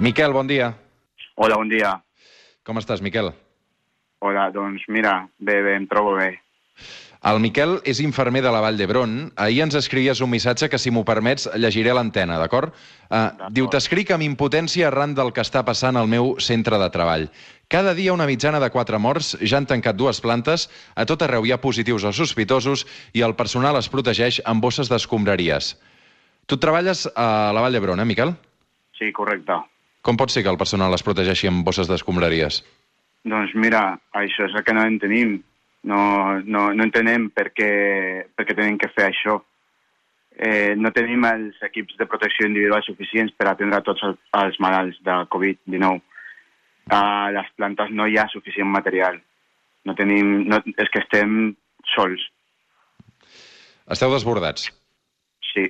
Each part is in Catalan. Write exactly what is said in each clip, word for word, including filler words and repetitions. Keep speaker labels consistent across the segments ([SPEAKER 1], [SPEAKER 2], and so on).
[SPEAKER 1] Miquel, bon dia.
[SPEAKER 2] Hola, bon dia.
[SPEAKER 1] Com estàs, Miquel?
[SPEAKER 2] Hola, doncs mira, bé, bé, em trobo bé.
[SPEAKER 1] El Miquel és infermer de la Vall d'Hebron. Ahir ens escrivies un missatge que, si m'ho permets, llegiré a l'antena, d'acord? Uh, diu, t'escric amb impotència arran del que està passant al meu centre de treball. Cada dia una mitjana de quatre morts, ja han tancat dues plantes, a tot arreu hi ha positius o sospitosos i el personal es protegeix amb bosses d'escombraries. Tu treballes a la Vall d'Hebron, eh, Miquel?
[SPEAKER 2] Sí, correcte.
[SPEAKER 1] Com pot ser que el personal es protegeixi amb bosses d'escombraries?
[SPEAKER 2] Doncs mira, això és el que no entenem. No, no, no entenem per què, per què tenim que fer això. Eh, no tenim els equips de protecció individual suficients per atendre tots els, els malalts de covid dinou. A les plantes no hi ha suficient material. No tenim, no, és que estem sols.
[SPEAKER 1] Esteu desbordats?
[SPEAKER 2] Sí.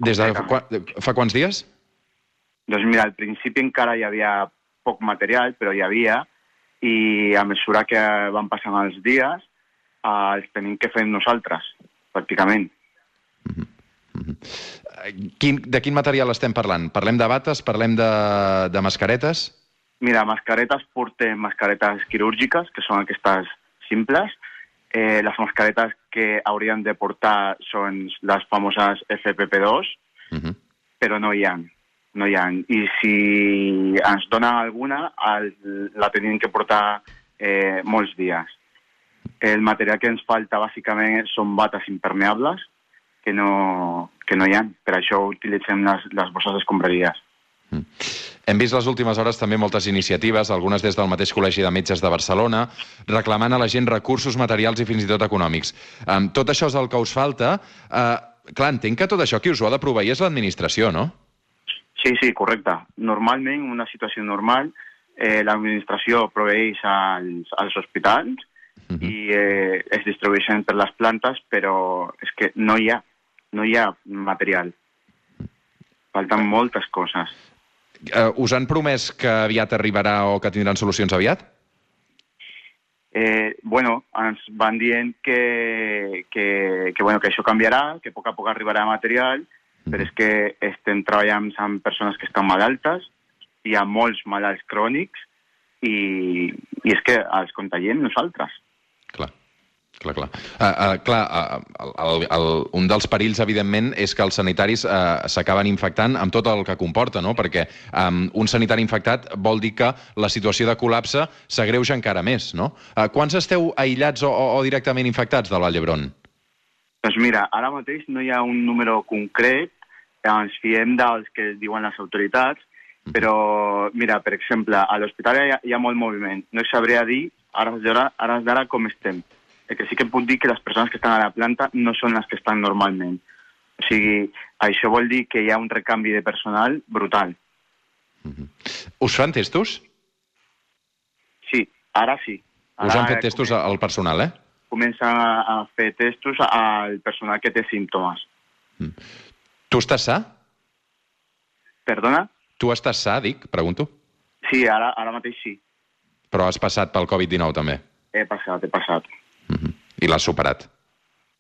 [SPEAKER 1] Des de fa, fa quants dies?
[SPEAKER 2] Doncs mira, al principi encara hi havia poc material, però hi havia, i a mesura que van passant els dies, eh, els tenim que fer nosaltres, pràcticament.
[SPEAKER 1] Mm-hmm. Mm-hmm. Quin, de quin material estem parlant? Parlem de bates? Parlem de, de mascaretes?
[SPEAKER 2] Mira, mascaretes portem mascaretes quirúrgiques, que són aquestes simples. Eh, les mascaretes que hauríem de portar són les famoses F P P dos, mm-hmm. però no hi ha. No hi ha. I si ens donen alguna, el, la tenim que portar eh, molts dies. El material que ens falta, bàsicament, són bates impermeables, que no, que no hi ha. Per això utilitzem les, les bosses d'escombraries.
[SPEAKER 1] Mm. Hem vist les últimes hores també moltes iniciatives, algunes des del mateix Col·legi de Metges de Barcelona, reclamant a la gent recursos materials i fins i tot econòmics. Um, tot això és el que us falta. Uh, clar, entenc que tot això qui us ho ha de proveir és l'administració, no?
[SPEAKER 2] Sí, sí, correcte. Normalment, en una situació normal, eh, l'administració proveeix als, als hospitals uh-huh. i eh, es distribueixen per les plantes, però és que no hi ha, no hi ha material. Falten moltes coses.
[SPEAKER 1] Uh, us han promès que aviat arribarà o que tindran solucions aviat?
[SPEAKER 2] Eh, bueno, ens van dient que, que, que, bueno, que això canviarà, que a poc a poc arribarà material, però és que estem treballant amb persones que estan malaltes, hi ha molts malalts crònics i, i és que els contagiem nosaltres.
[SPEAKER 1] Clar, clar, clar. Uh, uh, clar uh, el, el, el, un dels perills, evidentment, és que els sanitaris uh, s'acaben infectant amb tot el que comporta, no? Perquè um, un sanitari infectat vol dir que la situació de col·lapse s'agreuja encara més, no? Uh, quants esteu aïllats o, o, o directament infectats del Vall d'Hebron?
[SPEAKER 2] Doncs mira, ara mateix no hi ha un número concret, ens fiem dels que diuen les autoritats, però, mira, per exemple, a l'hospital hi, hi ha molt moviment. No sabria dir, ara d'ara, com estem. El que sí que puc dir que les persones que estan a la planta no són les que estan normalment. O sigui, això vol dir que hi ha un recanvi de personal brutal.
[SPEAKER 1] Mm-hmm. Us fan testos?
[SPEAKER 2] Sí, ara sí. Ara
[SPEAKER 1] Us han fet testos comença, al personal, eh?
[SPEAKER 2] Comencen a, a fer testos al personal que té símptomes.
[SPEAKER 1] Mm. Tu estàs sa?
[SPEAKER 2] Perdona?
[SPEAKER 1] Tu estàs sa, dic, pregunto?
[SPEAKER 2] Sí, ara, ara mateix sí.
[SPEAKER 1] Però has passat pel covid dinou, també?
[SPEAKER 2] He passat, he passat.
[SPEAKER 1] Mm-hmm. I l'has superat?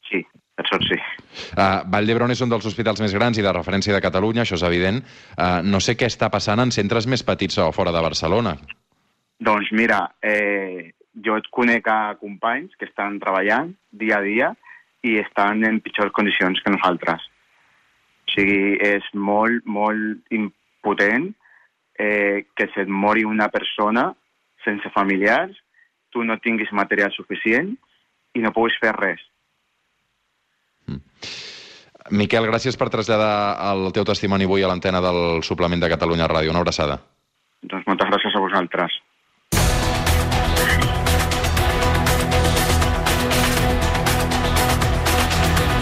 [SPEAKER 2] Sí, per sort sí.
[SPEAKER 1] Uh, Vall d'Hebron és un dels hospitals més grans i de referència de Catalunya, això és evident. Uh, no sé què està passant en centres més petits o fora de Barcelona.
[SPEAKER 2] Doncs mira, eh, jo et conec a companys que estan treballant dia a dia i estan en pitjors condicions que nosaltres. O sigui, és molt, molt impotent eh, que se't mori una persona sense familiars, tu no tinguis material suficient i no puguis fer res.
[SPEAKER 1] Mm. Miquel, gràcies per traslladar el teu testimoni avui a l'antena del Suplement de Catalunya Ràdio. Una abraçada.
[SPEAKER 2] Doncs moltes gràcies a vosaltres.